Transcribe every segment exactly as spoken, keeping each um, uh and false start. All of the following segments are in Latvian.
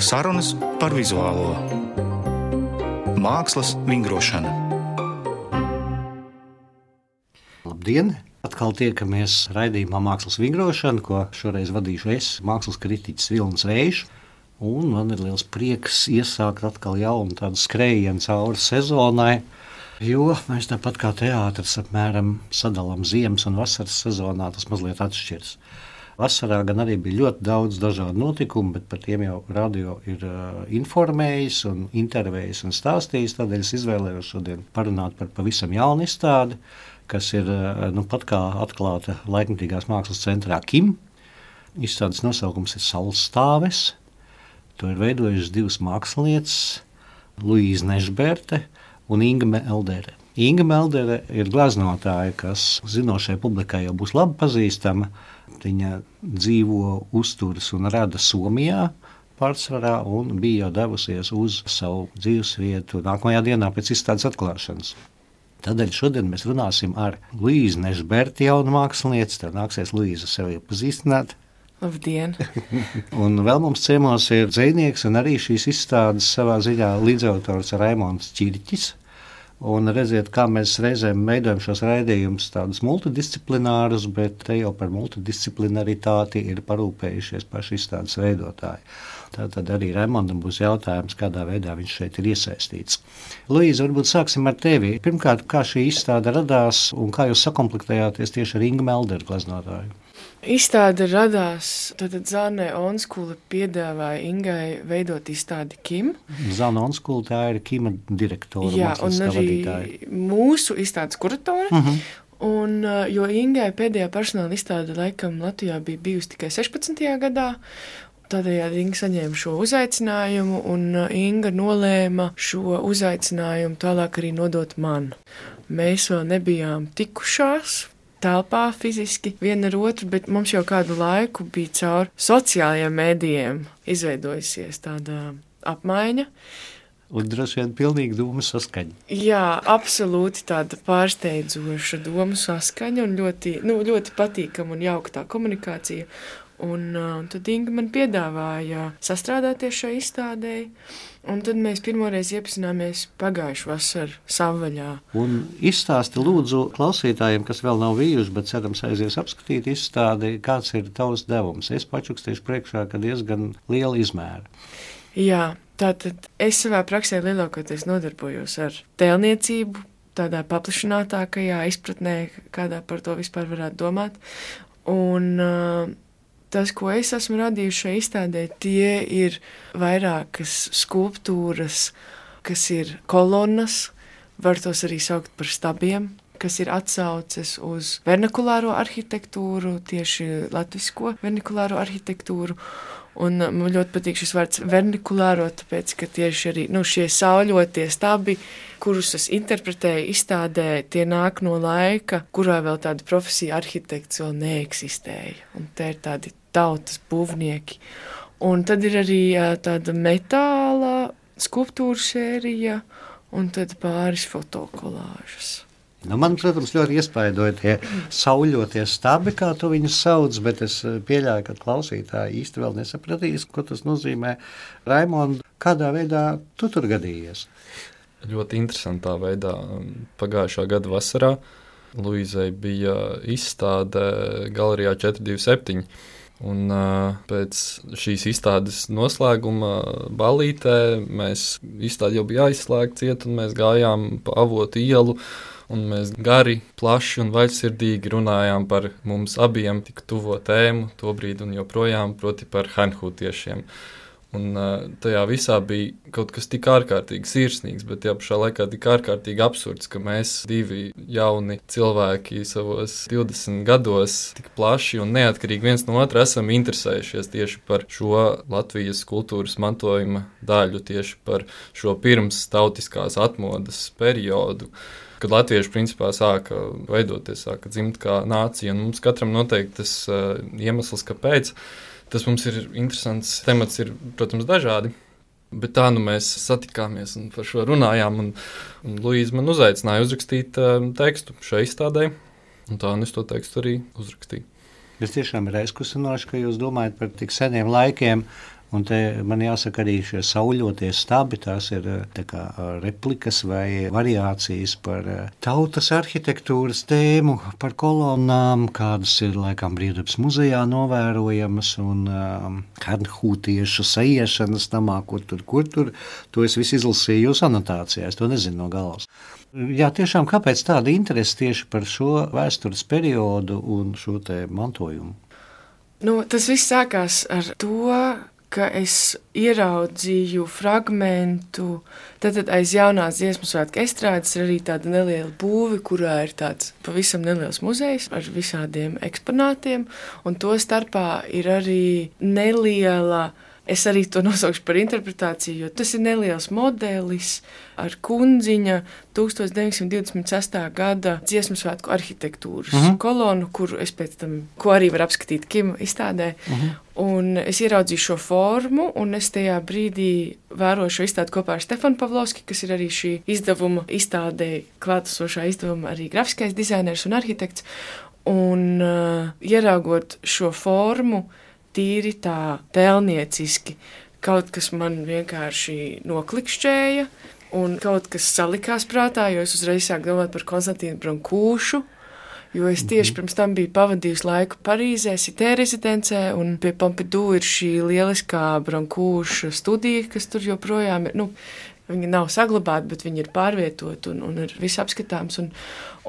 Sarunas par vizuālo mākslas vingrošanu. Labdien! Atkal tiekamies raidījumā Mākslas vingrošana, ko šoreiz vadīšu es, mākslas kritiķis Vilnis Vējš. Un man ir liels prieks iesākt atkal jaunu tādu skrējienu cauri sezonai, jo mēs tāpat kā teātris apmēram sadalām ziemas un vasaras sezonā, tas mazliet atšķirs. Vasarā gan arī bija ļoti daudz dažādu notikumu, bet par tiem jau radio ir uh, informējis un intervējis un stāstījis. Tādēļ es izvēlējos šodien parunāt par pavisam jaunu izstādi, kas ir uh, nu, pat kā atklāta Laikmetīgās mākslas centrā Kim. Izstādes nosaukums ir Saules. To ir veidojušas divas mākslinieces, Luīza Nežberte un Inga Meldere. Inga Meldere ir gleznotāja, kas zinošai publikai jau būs labi pazīstama. Viņa dzīvo, uzturas un rada Somijā pārsvarā un bija jau devusies uz savu dzīvesvietu nākamajā dienā pēc izstādes atklāšanas. Tādēļ šodien mēs runāsim ar Luīzu Nežberti, jaunu mākslinieci. Tev nāksies, Luīza, sevi iepazīstināt. Labdien! Un vēl mums ciemos ir dzejnieks un arī šīs izstādes savā ziņā līdzautors Raimonds Čirķis. Un redziet, kā mēs reizēm veidojam šos raidījumus tādus multidisciplinārus, bet te jau par multidisciplinaritāti ir parūpējušies paši izstādes veidotāji. Tātad arī Raimondam būs jautājums, kādā veidā viņš šeit ir iesaistīts. Luīza, varbūt sāksim ar tevi. Pirmkārt, kā šī izstāde radās un kā jūs sakomplektējāties tieši ar Ingu Melderu gleznotāju? Izstāde radās, tātad Zāne Onskule piedāvāja Ingai veidot izstādi Kim. Zāne Onskule, tā ir Kima direktora, jā, un arī vadītāja. Mūsu izstādes kuratore. Uh-huh. Un, jo Ingai pēdējā personāla izstāde laikam Latvijā bija bijusi tikai sešpadsmitajā gadā, tādējādi Inga saņēma šo uzaicinājumu, un Inga nolēma šo uzaicinājumu tālāk arī nodot man. Mēs vēl nebijām tikušās telpā fiziski viena ar otru, bet mums jau kādu laiku bija caur sociālajiem mēdījiem izveidojusies tāda apmaiņa. Un droši vien pilnīgi domu saskaņa. Jā, absolūti tāda pārsteidzoša domu saskaņa un ļoti, nu, ļoti patīkama un jauka tā komunikācija. Un, un tad Inga man piedāvāja sastrādāties šai izstādēji, un tad mēs pirmoreiz iepazināmies pagājušu vasaru Savvaļā. Un izstāsti lūdzu klausītājiem, kas vēl nav bijuši, bet cerams aizies apskatīt izstādi, kāds ir tavs devums. Es pačukstīšu priekšā, ka diezgan liela izmēra. Jā, tātad es savā praksē lielākoties nodarbojos ar tēlniecību, tādā paplašinātākajā izpratnē, kādā par to vispār varētu domāt. Un uh, tas, ko es esmu radījuši šajā izstādē, tie ir vairākas skulptūras, kas ir kolonnas, var tos arī saukt par stabiem, kas ir atsauces uz vernakulāro arhitektūru, tieši latvisko vernakulāro arhitektūru. Un man ļoti patīk šis vārds vernakulāro, tāpēc, ka tieši arī nu, šie sauļotie stabi, kurus es interpretēju izstādē, tie nāk no laika, kurā vēl tāda profesija arhitekts vēl neeksistēja. Un te ir tādi tautas būvnieki. Un tad ir arī tāda metāla skulptūra sērija un tad pāris fotokolāžas. Nu, man, protams, ļoti iespaidoja tie sauļotie stabi, kā tu viņus sauc, bet es pieļauju, ka klausītāji īsti vēl nesapratīs, ko tas nozīmē. Raimond, kādā veidā tu tur gadījies? Ļoti interesantā veidā. Pagājušā gada vasarā Luīzai bija izstāde galerijā četri divi septiņi. Un uh, pēc šīs izstādes noslēguma ballītē mēs izstādi jau bija aizslēgta ciet, un mēs gājām pa Avotu ielu, un mēs gari, plaši un vaļsirdīgi runājām par mums abiem tik tuvo tēmu tobrīd un joprojām, proti par hanhūtiešiem. Un uh, tajā visā bija kaut kas tik ārkārtīgi sirsnīgs, bet tajā pašā laikā tik ārkārtīgi absurds, ka mēs divi jauni cilvēki savos divdesmit gados tik plaši un neatkarīgi viens no otra esam interesējušies tieši par šo Latvijas kultūras mantojuma daļu, tieši par šo pirms tautiskās atmodas periodu, kad latvieši principā sāka veidoties, sāka dzimt kā nācija, un mums katram noteikti tas uh, iemesls, kāpēc. Tas mums ir interesants temats, ir, protams, dažādi, bet tā nu mēs satikāmies un par šo runājām, un, un Luīza man uzaicināja uzrakstīt uh, tekstu šai izstādē, un tā un es to tekstu arī uzrakstīju. Tas tiešām ir aizkustinoši, ka jūs domājat par tik seniem laikiem Un te man jāsaka arī šie sauļotie stabi, tās ir tā kā replikas vai variācijas par tautas arhitektūras tēmu, par kolonnām, kādas ir laikam Brīvdabas muzejā novērojamas un um, hernhūtiešu saiešanas namā, kur tur, kur tur. To es visu izlasīju jūsu anotācijā, es to nezinu no galvas. Jā, tiešām, kāpēc tāda interese tieši par šo vēstures periodu un šo te mantojumu? Nu, tas viss sākās ar to, ka es ieraudzīju fragmentu, tad aiz jaunās dziesmu svētku estrādes ir arī tāda neliela būve, kurā ir tāds pavisam neliels muzejs ar visādiem eksponātiem, un to starpā ir arī neliela, es arī to nosaukšu par interpretāciju, jo tas ir neliels modelis ar kundziņa tūkstoš deviņsimt divdesmit sestā gada dziesmu svētku arhitektūras uh-huh. kolonu, kuru es pēc tam, ko arī var apskatīt Kim izstādē. Uh-huh. Un es ieraudzīju šo formu, un es tajā brīdī vēroju šo izstādi kopā ar Stefanu Pavlovski, kas ir arī šī izdevuma izstādē, klātesošā izdevuma arī grafiskais dizainers un arhitekts. Un uh, ieraugot šo formu, tīri tā tēlnieciski, kaut kas man vienkārši noklikšķēja, un kaut kas salikās prātā, jo es uzreiz sāku domāt par Konstantīnu Brankūšu, jo es tieši pirms tam biju pavadījusi laiku Parīzē, Cité rezidencē, un pie Pompidou ir šī lieliskā Brankūša studija, kas tur joprojām ir, nu, viņi nav saglabāti, bet viņi ir pārvietoti un, un ir viss apskatāms. Un,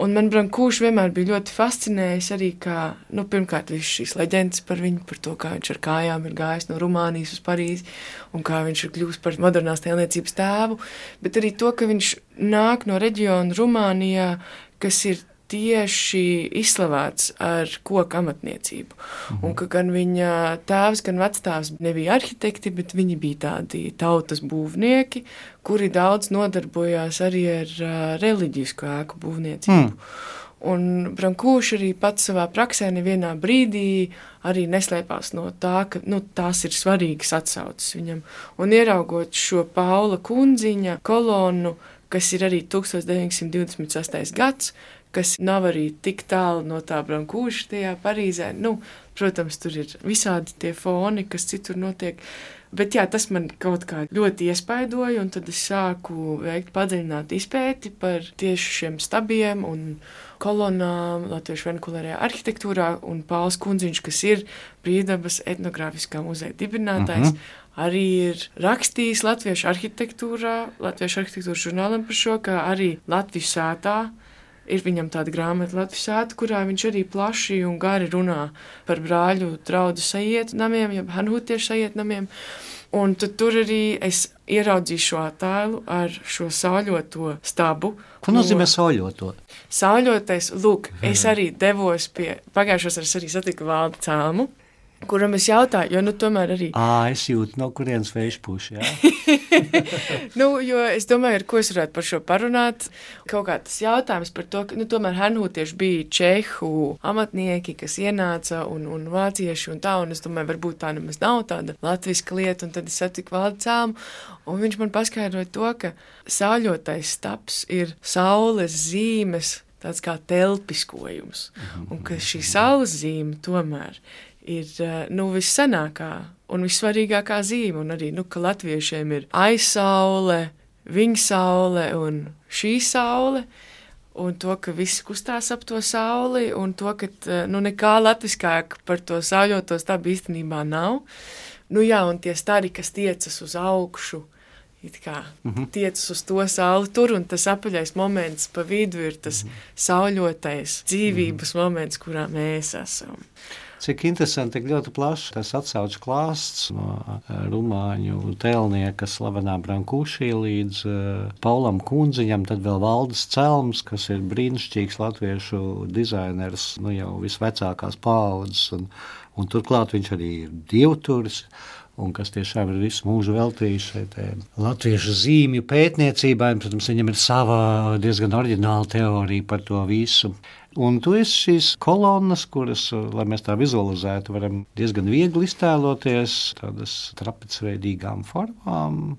un man Brankūš vienmēr bija ļoti fascinējis arī, kā, nu, pirmkārt, viss šīs leģendas par viņu, par to, kā viņš ar kājām ir gājis no Rumānijas uz Parīzi un kā viņš ir kļūst par modernās tēlniecības tēvu, bet arī to, ka viņš nāk no reģiona Rumānijā, kas ir tieši izslavēts ar koku amatniecību. Mhm. Un ka gan viņa tēvs, gan vectēvs nebija arhitekti, bet viņi bija tādi tautas būvnieki, kuri daudz nodarbojās arī ar uh, reliģisku ēku būvniecību. Mm. Un Brankūš arī pats savā praksē nevienā brīdī arī neslēpās no tā, ka nu, tās ir svarīgas atsauces viņam. Un ieraugot šo Paula kundziņa kolonu, kas ir arī tūkstoš deviņsimt divdesmit sestais gads, kas nav arī tik tālu no tā Brankūša tajā Parīzē. Nu, protams, tur ir visādi tie foni, kas citur notiek. Bet jā, tas man kaut kā ļoti iespaidoja, un tad es sāku veikt padziļināt izpēti par tieši šiem stabiem un kolonām Latviešu vernakulārajā arhitektūrā, un Pauls Kundziņš, kas ir Brīvdabas etnogrāfiskā muzeja dibinātājs, uh-huh. arī ir rakstījis Latviešu arhitektūrā, Latviešu arhitektūras žurnālam par šo, kā arī Latvijas sētā. Ir viņam tāda grāmata Latvijas sēta, kurā viņš arī plaši un gari runā par brāļu draudu sajietu namiem, jeb hernhūtiešu sajietu namiem. Un tad tur arī es ieraudzīju šo attēlu ar šo sauļoto stabu. Ko nozīmē sauļoto? Sauļotais, lūk, es arī devos pie, pagājušos es arī satiku Valdi Cēlmu, kuram es jautāju, jo nu tomēr arī... Ā, es jūtu, no kurienes vējš puš, jā. Nu, jo es domāju, ar ko es varētu par šo parunāt. Kaut kā tas jautājums par to, ka, nu, tomēr hernhūtieši bija čehu amatnieki, kas ienāca un, un vācieši un tā, un es domāju, varbūt tā nemaz nav tāda latviska lieta, un tad es satiku Valdi Cēlmu, un viņš man paskaidroja to, ka sauļotais stabs ir saules zīmes, tāds kā telpiskojums, un ka šī saules zīme tomēr ir nu, vissenākā un vissvarīgākā zīme, un arī, nu, ka latviešiem ir aizsaule, viņa saule un šī saule, un to, ka viss kustās ap to sauli, un to, ka nu, nekā latviskāk par to sauļoto stabu īstenībā nav. Nu jā, un tie stari, kas tiecas uz augšu, it kā mm-hmm. tiecas uz to sauli tur, un tas apaļais moments pa vidu ir tas mm-hmm. sauļotais dzīvības mm-hmm. moments, kurā mēs esam. Cik interesanti, tik ļoti plaši tas atsauču klāsts no rumāņu tēlnieka slavenā Brankūšī līdz uh, Paulam Kundziņam, tad vēl Valdis Celms, kas ir brīnišķīgs latviešu dizainers, nu jau visvecākās paaudzes, un, un turklāt viņš arī ir dievturis, un kas tiešām ir visu mūžu veltījis šeit latviešu zīmju pētniecībai, un, protams, viņam ir sava diezgan oriģināla teorija par to visu. Un tu esi šīs kolonnas, kuras, lai mēs tā vizualizētu, varam diezgan viegli iztēloties, tādas trapecveidīgām formām.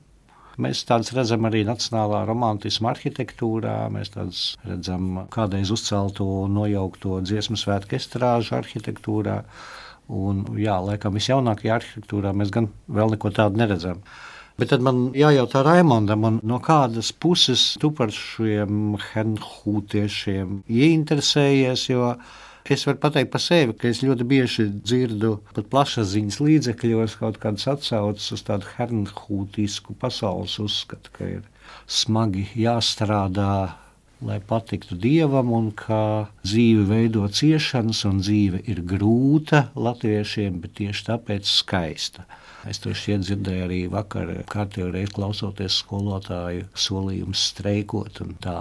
Mēs tādas redzam arī nacionālā romantisma arhitektūrā, mēs tādas redzam kādreiz uzcelto un nojaukto dziesmu svētku estrāžu arhitektūrā. Un, jā, laikam visjaunākajā arhitektūrā mēs gan vēl neko tādu neredzam. Bet tad man jājautā Raimondam, no kādas puses tu par šiem hernhūtiešiem ieinteresējies, jo es varu pateikt par sevi, ka es ļoti bieži dzirdu pat plašsaziņas līdzekļos kaut kādas atsauces uz tādu hernhūtisku pasaules uzskatu, ka ir smagi jāstrādā, lai patiktu Dievam, un ka dzīve veido ciešanas, un dzīve ir grūta latviešiem, bet tieši tāpēc skaista. Es to šķiet dzirdēju arī vakar, kārtējo reizi klausoties skolotāju solījumus streikot un tā.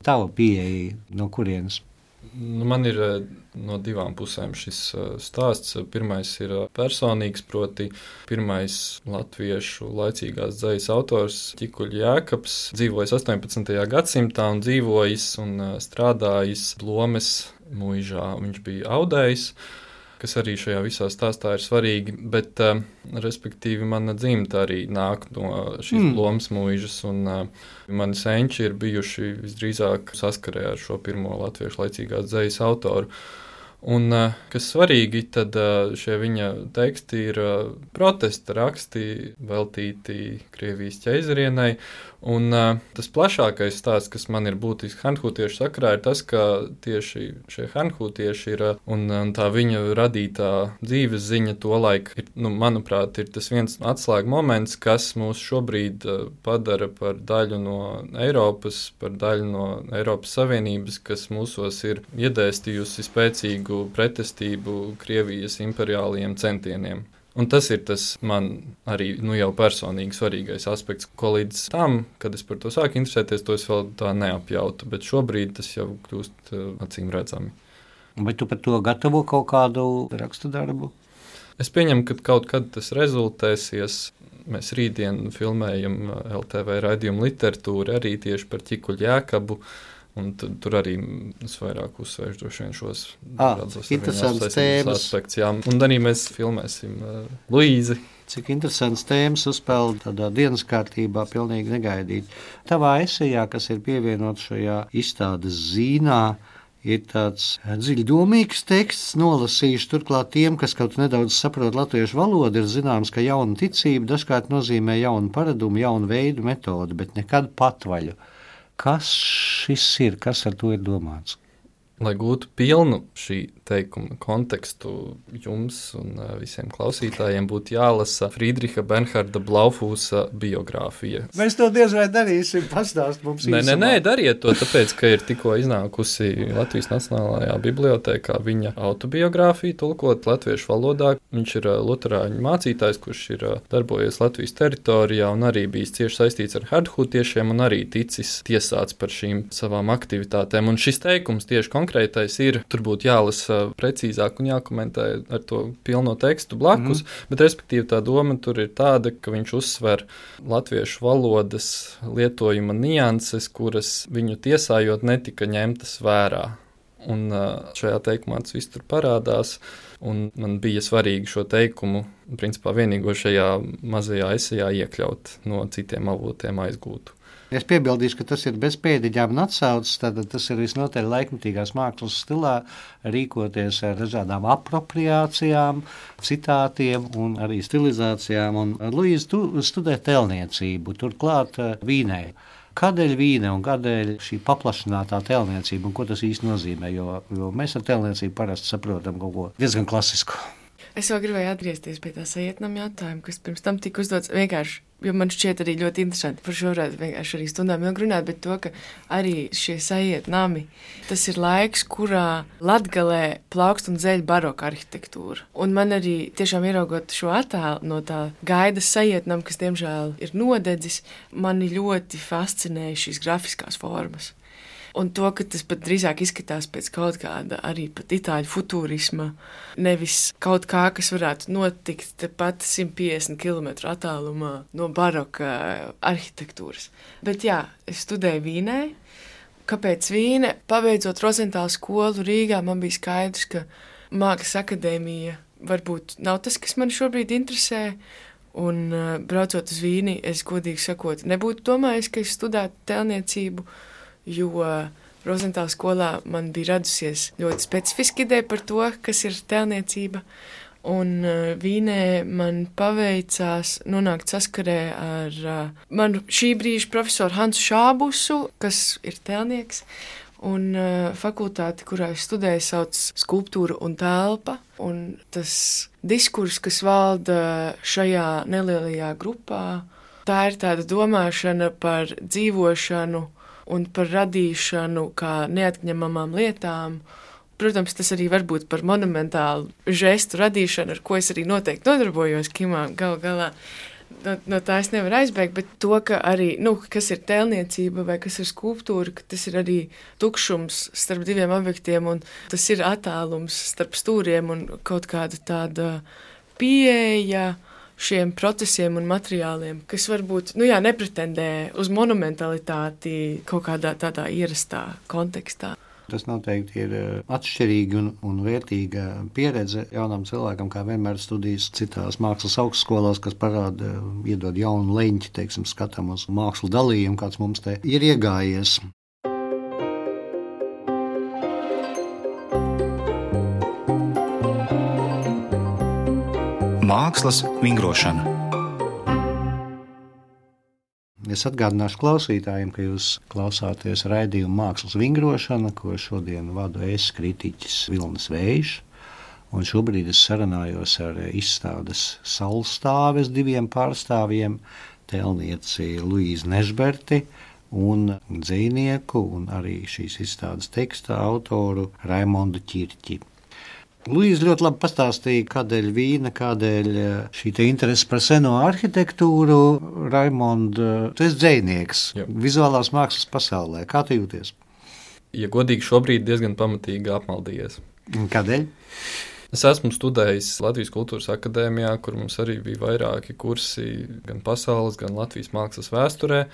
Tava pieeja no kurienes? Nu, man ir no divām pusēm šis stāsts. Pirmais ir personīgs, proti pirmais latviešu laicīgās dzejas autors Ķikuļa Jēkabs dzīvojis astoņpadsmitajā gadsimtā un dzīvojis un strādājis Blomes muižā. Viņš bija audējs, kas arī šajā visā stāstā ir svarīgi, bet, uh, respektīvi, mana dzimta arī nāk no šīs mm. Blomes muižas, un uh, mani senči ir bijuši visdrīzāk saskarē ar šo pirmo latviešu laicīgās dzejas autoru. Un, uh, kas svarīgi, tad uh, šie viņa teksti ir uh, protesta raksti veltīti Krievijas ķeizarienei, un uh, tas plašākais stāsts, kas man ir būtisks hernhūtiešu sakarā, ir tas, ka tieši šie hernhūtieši ir, un, un tā viņa radītā dzīves ziņa tolaik, ir, nu, manuprāt, ir tas viens atslēga moments, kas mūs šobrīd uh, padara par daļu no Eiropas, par daļu no Eiropas Savienības, kas mūsos ir iedēstījusi spēcīgu pretestību Krievijas imperiālajiem centieniem. Un tas ir tas man arī nu, jau personīgi svarīgais aspekts, ko līdz tam, kad es par to sāku interesēties, to es vēl tā neapjautu, bet šobrīd tas jau kļūst uh, acīm redzami. Vai tu par to gatavo kaut kādu rakstu darbu? Es pieņemu, ka kaut kad tas rezultēsies. Mēs rītdien filmējam L T V raidījumu literatūru arī tieši par Ķikuļu Jēkabu. Un tu, tur arī es vairāk uzsvēršu droši vien šos ah, interesants tēmas aspekts. Jā. Un arī mēs filmēsim uh, Luīzi. Cik interesants tēmas uzpeld tādā dienas kārtībā, pilnīgi negaidīt. Tavā esejā, kas ir pievienot šajā izstādes zīnā, ir tāds dziļdomīgs teksts, nolasījuši turklāt tiem, kas kaut nedaudz saprot latviešu valodu, ir zināms, ka jauna ticība dažkārt nozīmē jaunu paradumu, jaunu veidu metodu, bet nekad patvaļu. Kas šis ir? Kas ar to ir domāts? Lai gūtu pilnu šī teikuma kontekstu jums un visiem klausītājiem, būtu jālasa Friedricha Bernharda Blaufūsa biogrāfija. Mēs to diez vai darīsim, pastāst mums īsumā. Nē, nē, nē, dariet to, tāpēc, ka ir tikko iznākusi Latvijas Nacionālajā bibliotēkā viņa autobiogrāfija, tulkot latviešu valodā. Viņš ir luterāņu mācītājs, kurš ir darbojies Latvijas teritorijā un arī bijis cieši saistīts ar hernhūtiešiem un arī ticis tiesāts par šīm savām aktivitātēm. Un šis teikums tieši konkrētais ir, tur būtu jālasa precīzāk un jākomentē ar to pilno tekstu blakus, mm. bet respektīvi tā doma tur ir tāda, ka viņš uzsver latviešu valodas lietojuma nianses, kuras viņu tiesājot netika ņemtas vērā. Un šajā teikumā tas viss tur parādās, un man bija svarīgi šo teikumu, principā vienīgo šajā mazajā esejā iekļaut, no citiem avotiem aizgūtu. Es piebildīšu, ka tas ir bez pēdiņām un atsaucas, tad tas ir visnotaļ laikmetīgās mākslas stilā rīkoties ar dažādām apropriācijām, citātiem un arī stilizācijām. Un, Luīz, tu studē tēlniecību, turklāt Vīnē. Kādēļ Vīne un kādēļ šī paplašinātā tēlniecība un ko tas īsti nozīmē? Jo, jo mēs ar tēlniecību parasti saprotam kaut ko diezgan klasisku. Es vēl gribēju atgriezties pie tā sajietnam jautājumu, kas pirms tam tika uzdots vienkārši, jo man šķiet arī ļoti interesanti. Par šo varētu vienkārši arī stundām ilgi runāt, bet to, ka arī šie sajietnami, tas ir laiks, kurā Latgalē plaukst un zeļ baroka arhitektūra. Un man arī tiešām ieraugot šo attēlu no tā gaidas sajietnam, kas diemžēl ir nodedzis, mani ļoti fascinēja šīs grafiskās formas. Un to, ka tas pat drīzāk izskatās pēc kaut kāda arī pat itāļu futūrisma, nevis kaut kā, kas varētu notikt tepat simt piecdesmit kilometru attālumā no baroka arhitektūras. Bet jā, es studēju Vīnē. Kāpēc Vīne? Pabeidzot Rozentāla skolu Rīgā, man bija skaidrs, ka mākslas akadēmija varbūt nav tas, kas man šobrīd interesē. Un braucot uz Vīni, es godīgi sakot, nebūtu domājis, ka es studētu tēlniecību, jo Rozentāla skolā man bija radusies ļoti specifiska ideja par to, kas ir tēlniecība. Un uh, Vīnē man paveicās nonākt saskarē ar uh, manu šī brīža profesoru Hansu Šābusu, kas ir tēlnieks, un uh, fakultāti, kurā es studēju, sauc Skulptūra un telpa. Un tas diskurs, kas valda šajā nelielajā grupā, tā ir tāda domāšana par dzīvošanu un par radīšanu kā neatņemamām lietām. Protams, tas arī var būt par monumentālu žestu radīšanu, ar ko es arī noteikti nodarbojos kimā gal galā. No, no tā es nevaru aizbēgt, bet to, ka arī, nu, kas ir tēlniecība vai kas ir skulptūra, ka tas ir arī tukšums starp diviem objektiem un tas ir attālums starp stūriem un kaut kāda tāda pieeja šiem procesiem un materiāliem, kas varbūt, nu jā, nepretendē uz monumentalitāti kaut kādā tādā ierastā kontekstā. Tas noteikti ir atšķirīga un, un vērtīga pieredze jaunam cilvēkam, kā vienmēr studijas citās mākslas augstskolās, kas parāda, iedod jaunu leņķi, teiksim, skatam uz mākslu dalījumu, kāds mums te ir iegājies. Mākslas vingrošana. Es atgādināšu klausītājiem, ka jūs klausāties raidījumu Mākslas vingrošana, ko šodien vadu es, kritiķis Vilnis Vējš. Un šobrīd es sarunājos ar izstādes Saulstāves diviem pārstāvjiem, tēlnieci Luīzi Nežberti un dzejnieku un arī šīs izstādes teksta autoru Raimondu Ķirķi. Luīze ļoti labi pastāstīja, kādēļ Vīna, kādēļ šī te interese par seno arhitektūru. Raimond, tu esi dzejnieks Jā. Vizuālās mākslas pasaulē. Kā tu jūties? Ja godīgi, šobrīd diezgan pamatīgi apmaldījies. Kādēļ? Es esmu studējis Latvijas Kultūras akadēmijā, kur mums arī bija vairāki kursi gan pasaules, gan Latvijas mākslas vēsturē.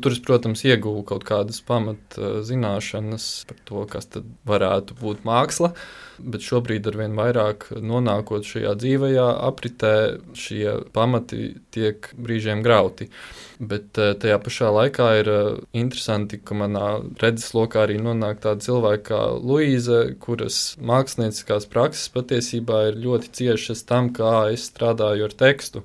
Tur es, protams, ieguvu kaut kādas pamat zināšanas par to, kas tad varētu būt māksla, bet šobrīd arvien vairāk nonākot šajā dzīvajā apritē, šie pamati tiek brīžiem grauti. Bet tajā pašā laikā ir interesanti, ka manā redzeslokā arī nonāk tāda cilvēka kā Luīze, kuras mākslinieckās prakses patiesībā ir ļoti ciešas tam, kā es strādāju ar tekstu.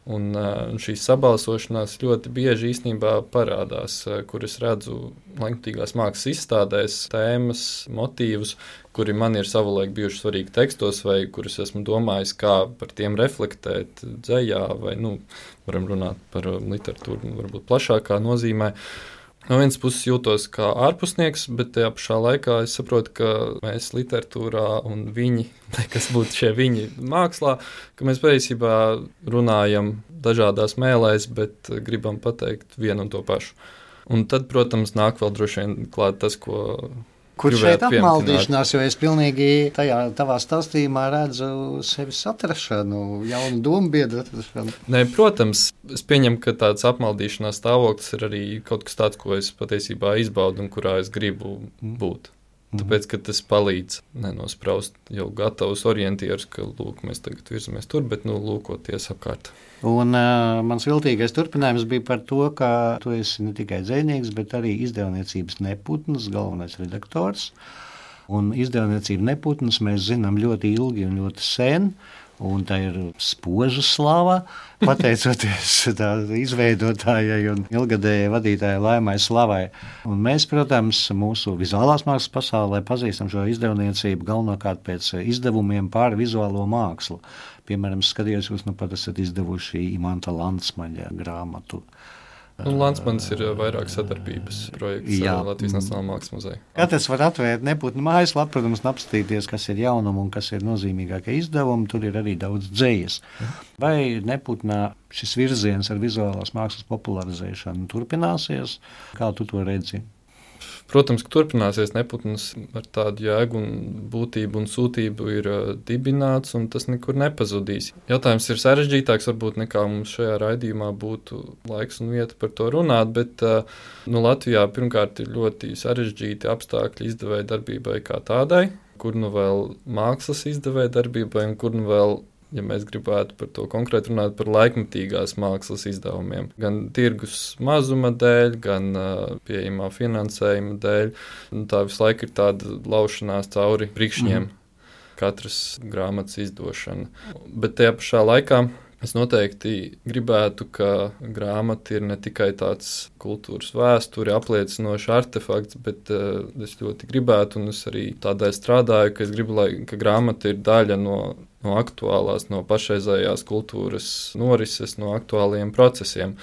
Un šīs sabalsošanās ļoti bieži īstenībā parādās, kur es redzu laikmatīgās mākslas izstādēs tēmas, motīvus, kuri man ir savulaik bijuši svarīgi tekstos, vai kurus esmu domājis, kā par tiem reflektēt dzejā, vai, nu, varam runāt par literatūru, varbūt plašākā nozīmē. No vienas puses jūtos kā ārpusnieks, bet tajā pašā laikā es saprotu, ka mēs literatūrā un viņi, kas būtu šie viņi mākslā, ka mēs patiesībā runājam dažādās mēlēs, bet gribam pateikt vienu un to pašu. Un tad, protams, nāk vēl droši vien klāt tas, ko Kur šeit apmaldīšanās, jo es pilnīgi tajā tavā stāstījumā redzu sevis atrašanu, jaunu dombiedru atrašanu. Nē, protams, es pieņemu, ka tāds apmaldīšanās stāvoklis ir arī kaut kas tāds, ko es patiesībā izbaudu un kurā es gribu būt. Tāpēc, ka tas palīdz nenospraust jau gatavus orientierus, ka, lūk, mēs tagad virzamies tur, bet, nu, lūkoties apkārt. Un uh, mans viltīgais turpinājums bija par to, ka tu esi ne tikai dzejnieks, bet arī izdevniecības Neputns, galvenais redaktors. Un izdevniecība Neputns mēs zinām ļoti ilgi un ļoti sen, un tā ir spoža slava, pateicoties tā izveidotājai un ilgadējai vadītājai Laimai Slavai. Un mēs, protams, mūsu vizuālās mākslas pasaulē pazīstam šo izdevniecību galvenokārt pēc izdevumiem pār vizuālo mākslu. Piemēram, skatījos, jūs nu pat esat izdevuši Imanta Landsmaņa grāmatu. Un Landsmanis ir vairāk sadarbības projekts Jā. ar Latvijas Nacionālā mākslas muzeju. Katrs var atvērt Neputnu mājaslapu, protams, un apstīties, kas ir jaunumi un kas ir nozīmīgākie izdevumi. Tur ir arī daudz dzejas. Vai Neputnā šis virziens ar vizuālās mākslas popularizēšanu turpināsies? Kā tu to redzi? Protams, ka turpināsies. Neputns ar tādu jēgu un būtību un sūtību ir uh, dibināts, un tas nekur nepazudīs. Jautājums ir sarežģītāks, varbūt nekā mums šajā raidījumā būtu laiks un vieta par to runāt, bet uh, nu, Latvijā pirmkārt ir ļoti sarežģīti apstākļi izdevēja darbībai kā tādai, kur nu vēl mākslas izdevēja darbībai un kur nu vēl, ja mēs gribētu par to konkrēti runāt, par laikmatīgās mākslas izdevumiem. Gan tirgus mazuma dēļ, gan uh, pieejamā finansējuma dēļ. Un tā visu laiku ir tāda laušanās cauri prikšņiem. Mm. katras grāmatas izdošana. Bet tajā pašā laikā es noteikti gribētu, ka grāmata ir ne tikai tāds kultūras vēsturi apliecinošs artefakts, bet uh, es ļoti gribētu, un es arī tādēļ strādāju, ka es gribu, lai ka grāmata ir daļa no, no aktuālās, no pašreizējās kultūras norises, no aktuāliem procesiem.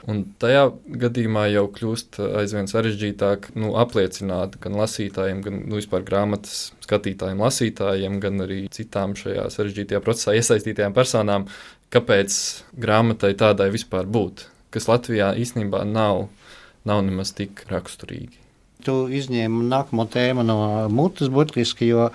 Un tajā gadījumā jau kļūst aizvien sarežģītāk nu, apliecināt gan lasītājiem, gan nu, vispār grāmatas skatītājiem, lasītājiem, gan arī citām šajā sarežģītajā procesā iesaistītajām personām, kāpēc grāmatai tādai vispār būt, kas Latvijā īstenībā nav, nav nemaz tik raksturīgi. Tu izņēmi nākamo tēmu no mutes burtiski, jo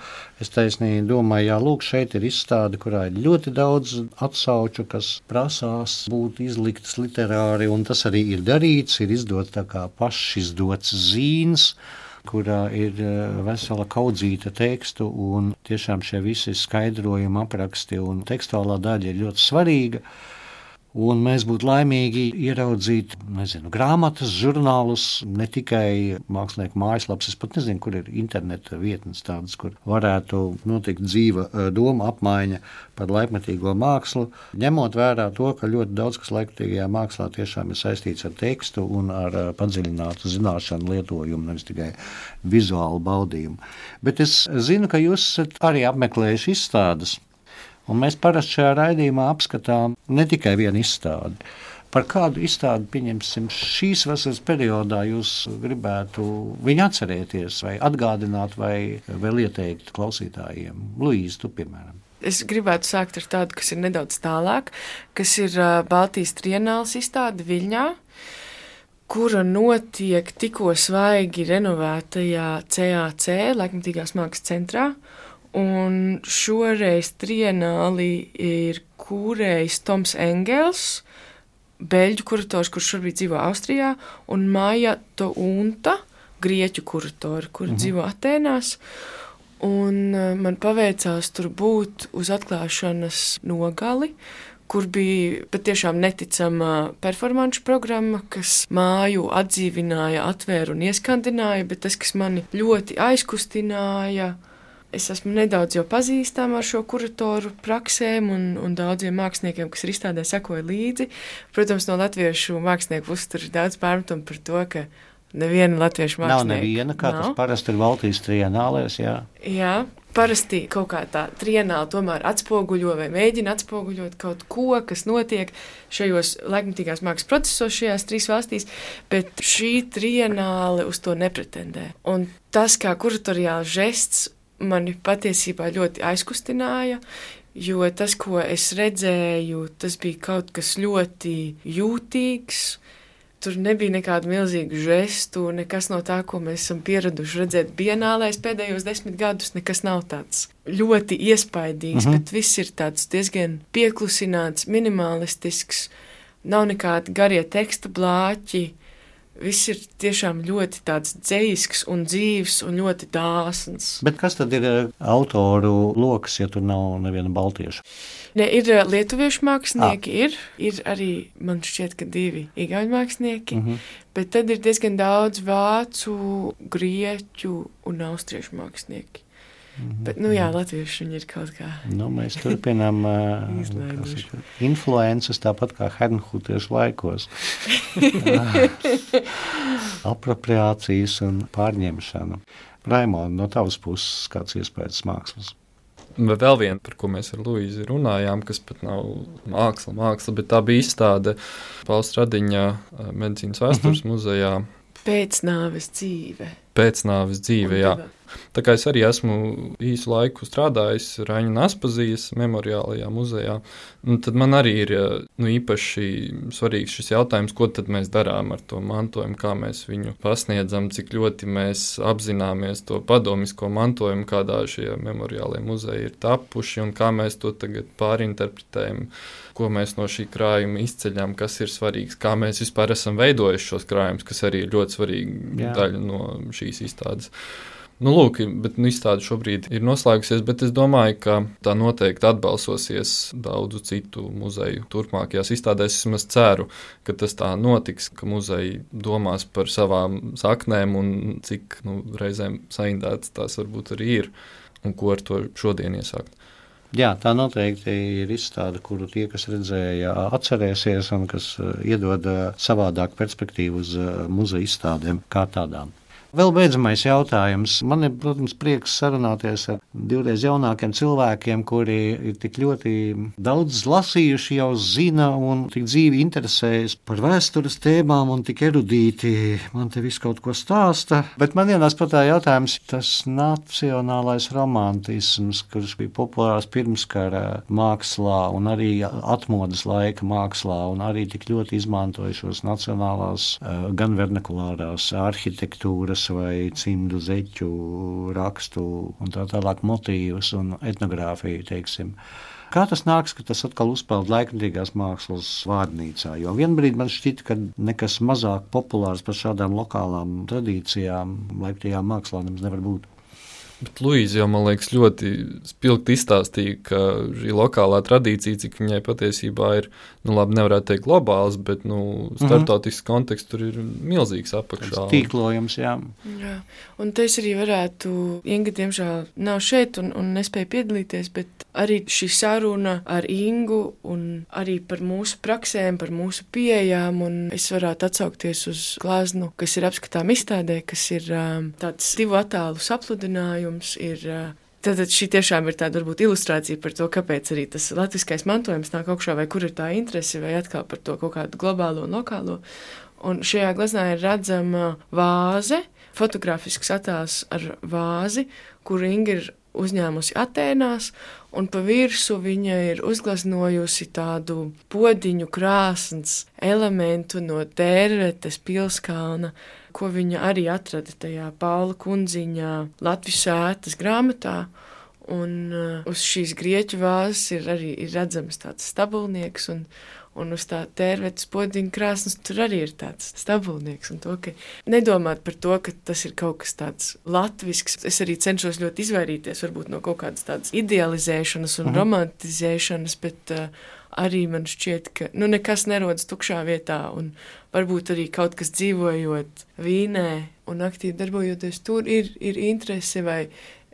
es taisnīgi domāju, jā, lūk, šeit ir izstāde, kurā ir ļoti daudz atsauču, kas prasās būt izliktas literāri, un tas arī ir darīts, ir izdots tā kā pašizdots zīns, kurā ir vesela kaudzīta tekstu, un tiešām šie visi skaidrojumi, apraksti un tekstuālā daļa ir ļoti svarīga. Un mēs būtu laimīgi ieraudzīt, nezinu, grāmatas, žurnālus, ne tikai mākslinieku mājaslapas. Es pat nezinu, kur ir interneta vietnes tādas, kur varētu notikt dzīva doma apmaiņa par laikmetīgo mākslu, ņemot vērā to, ka ļoti daudz kas laikmetīgajā mākslā tiešām ir saistīts ar tekstu un ar padziļinātu zināšanu lietojumu, nevis tikai vizuālu baudījumu. Bet es zinu, ka jūs esat arī apmeklējuši izstādes. Un mēs parasti šajā raidījumā apskatām ne tikai vienu izstādi. Par kādu izstādi, pieņemsim, šīs vasaras periodā jūs gribētu viņu atcerēties vai atgādināt vai vēl ieteikt klausītājiem? Luīze, tu piemēram. Es gribētu sākt ar tādu, kas ir nedaudz tālāk, kas ir Baltijas trienāles izstāde Viļņā, kura notiek tikko svaigi renovētajā C A C, Laikmetīgās mākslas centrā. Un šoreiz trienāli ir kūrējs Toms Engels, beļģu kurators, kurš šobrīd dzīvo Austrijā, un Maija Tounta, grieķu kuratori, kur mhm. dzīvo Atēnās. Un man paveicās tur būt uz atklāšanas nogali, kur bija patiešām neticama performanču programma, kas māju atdzīvināja, atvēra un ieskandināja, bet tas, kas mani ļoti aizkustināja, es esmu nedaudz jau pazīstama ar šo kuratoru praksēm un, un daudziem māksliniekiem, kas ir izstādē sekoja līdzi. Protams, no latviešu mākslinieku puses tur ir daudz pārmetumu par to, ka neviena latviešu mākslinieka nav neviena, kā nav. Tas parasti ir Baltijas trienālēs, jā. Jā, parasti kaut kā tā trienāla tomēr atspoguļo vai mēģina atspoguļot kaut ko, kas notiek šajos laikmetīgās mākslas procesos šajās trīs valstīs, bet šī trienāle uz to nepretendē. Un tas kā kuratoriāls žests mani patiesībā ļoti aizkustināja, jo tas, ko es redzēju, tas bija kaut kas ļoti jūtīgs. Tur nebija nekādu milzīgu žestu, nekas no tā, ko mēs esam pieraduši redzēt bienālēs pēdējos desmit gadus, nekas nav tāds ļoti iespaidīgs, mhm. bet viss ir tāds diezgan pieklusināts, minimalistisks, nav nekādi garie teksta blāķi. Viss ir tiešām ļoti tāds dzejisks un dzīvs un ļoti dāsns. Bet kas tad ir autoru lokas, ja tur nav neviena baltieša? Ne, ir lietuviešu mākslinieki, ah. ir, ir arī, man šķiet, ka divi igauņu mākslinieki, mm-hmm. bet tad ir diezgan daudz vācu, grieķu un austriešu mākslinieki. Mm-hmm. Bet, nu jā, latvieši viņi ir kaut kā. Nu, mēs turpinām influences tāpat kā hernhutiešu laikos. Apropriācijas un pārņemšana. Raimond, no tavas puses kāds iespējas mākslas? Vēl viena, par ko mēs ar Luīzi runājām, kas pat nav māksla, māksla, bet tā bija izstāde Pauls Radiņa medicīnas vēstures uh-huh. muzejā. Pēcnāves dzīve. Pēcnāves dzīve, jā. Tā kā es arī esmu īsu laiku strādājis Raņa Naspazijas memoriālajā muzejā, tad man arī ir nu, īpaši svarīgs šis jautājums, ko tad mēs darām ar to mantojumu, kā mēs viņu pasniedzam, cik ļoti mēs apzināmies to padomisko mantojumu, kādā šie memoriālie muzeji ir tapuši un kā mēs to tagad pārinterpretējam, ko mēs no šī krājuma izceļam, kas ir svarīgs, kā mēs vispār esam veidojuši šos krājumus, kas arī ir ļoti svarīga Jā. daļa no šīs izstādes. Nu, lūk, bet nu, izstāde šobrīd ir noslēgusies, bet es domāju, ka tā noteikti atbalsosies daudzu citu muzeju turpmākajās izstādēs. Es vismaz ceru, ka tas tā notiks, ka muzeji domās par savām saknēm un cik nu, reizēm saindētas tās varbūt arī ir. un ko ar to šodien iesākt. Jā, tā noteikti ir izstāde, kuru tie, kas redzēja, atcerēsies un kas iedod savādāku perspektīvu uz muzeja izstādēm kā tādām. Vēl beidzamais jautājums. Man ir, protams, prieks sarunāties ar divreiz jaunākiem cilvēkiem, kuri ir tik ļoti daudz lasījuši, jau zina un tik dzīvi interesējas par vēstures tēmām un tik erudīti man te visu kaut ko stāsta. Bet man ienāca prātā jautājums, tas nacionālais romantisms, kurš bija populārs pirmskara mākslā un arī atmodas laika mākslā un arī tik ļoti izmantoja šos nacionālās, gan vernakulārās arhitektūras vai cimdu zeķu rakstu un tā tālāk motīvus un etnogrāfiju, teiksim. Kā tas nāks, ka tas atkal uzpeld laikmatīgās mākslas vārnīcā? Jo vienbrīd man šķita, ka nekas mazāk populārs par šādām lokālām tradīcijām laikmatīgām mākslā nemaz nevar būt. Bet Luīza jau, man liekas, ļoti spilgti izstāstīja, ka šī lokālā tradīcija, cik viņai patiesībā ir, nu labi, nevarētu teikt globāls, bet, nu, startautisks mm-hmm. konteksts tur ir milzīgs apakšā. Tīklojums, jā. Jā, un te es arī varētu, Inga, diemžēl, nav šeit un, un nespēja piedalīties, bet arī šī saruna ar Ingu un arī par mūsu praksēm, par mūsu pieejām, un es varētu atsaukties uz gleznu, kas ir apskatām izstādē, kas ir um, tāds divu attēlu sapludinājums. Ir, tātad šī tiešām ir tāda varbūt ilustrācija par to, kāpēc arī tas latviskais mantojums nāk augšā, vai kur ir tā interese, vai atkal par to kaut kādu globālo un lokālo. Un šajā gleznā ir redzama vāze, fotografisks attēls ar vāzi, kuru Inga ir uzņēmusi Atēnās, un pa virsu viņa ir uzgleznojusi tādu podiņu krāsns elementu no Tērvetes pilskalna, ko viņa arī atrada tajā Paula Kundziņā Latvijas sētas grāmatā, un uh, uz šīs grieķu vāzes ir arī ir redzams tāds stabulnieks, un, un uz tā Tērvetes podiņa krāsnes tur arī ir tāds stabulnieks, un to, ka nedomāt par to, ka tas ir kaut kas tāds latvisks. Es arī cenšos ļoti izvairīties varbūt no kaut kādas tādas idealizēšanas un mhm. romantizēšanas, bet uh, arī man šķiet, ka nu, nekas nerodas tukšā vietā, un varbūt arī kaut kas dzīvojot Vīnē un aktīvi darbojoties tur ir, ir interese, vai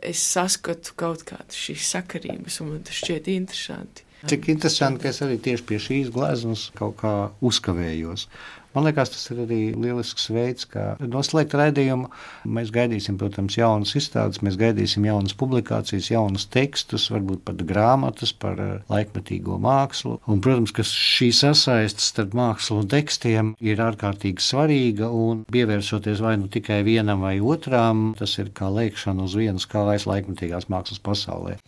es saskatu kaut kādas šīs sakarības, un man tas šķiet interesanti. Cik interesanti, ka es arī tieši pie šīs gleznas kaut kā uzkavējos. Man liekas, tas ir arī lielisks veids, kā noslēgt raidījumu. Mēs gaidīsim, protams, jaunas izstādes, mēs gaidīsim jaunas publikācijas, jaunas tekstus, varbūt pat grāmatas par laikmetīgo mākslu. Un, protams, ka šī sasaistes starp mākslu un tekstiem ir ārkārtīgi svarīga, un pievēršoties vai nu tikai vienam vai otrām, tas ir kā lēkšana uz vienas kājas laikmetīgās mākslas pasaulē.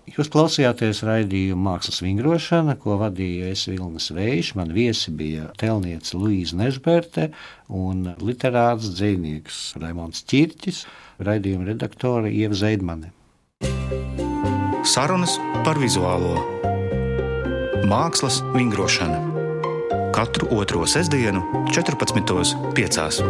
Jūs klausījāties raidījumu Mākslas vingrošana, ko vadīja es Vilnis Vējš. Man viesi bija tēlniece Luīza Nežberte un literāts dzejnieks Raimonds Ķirķis, raidījuma redaktore Ieva Zeidmane. Sarunas par vizuālo. Mākslas vingrošana. Katru otro sestdienu četrpadsmitos piecās.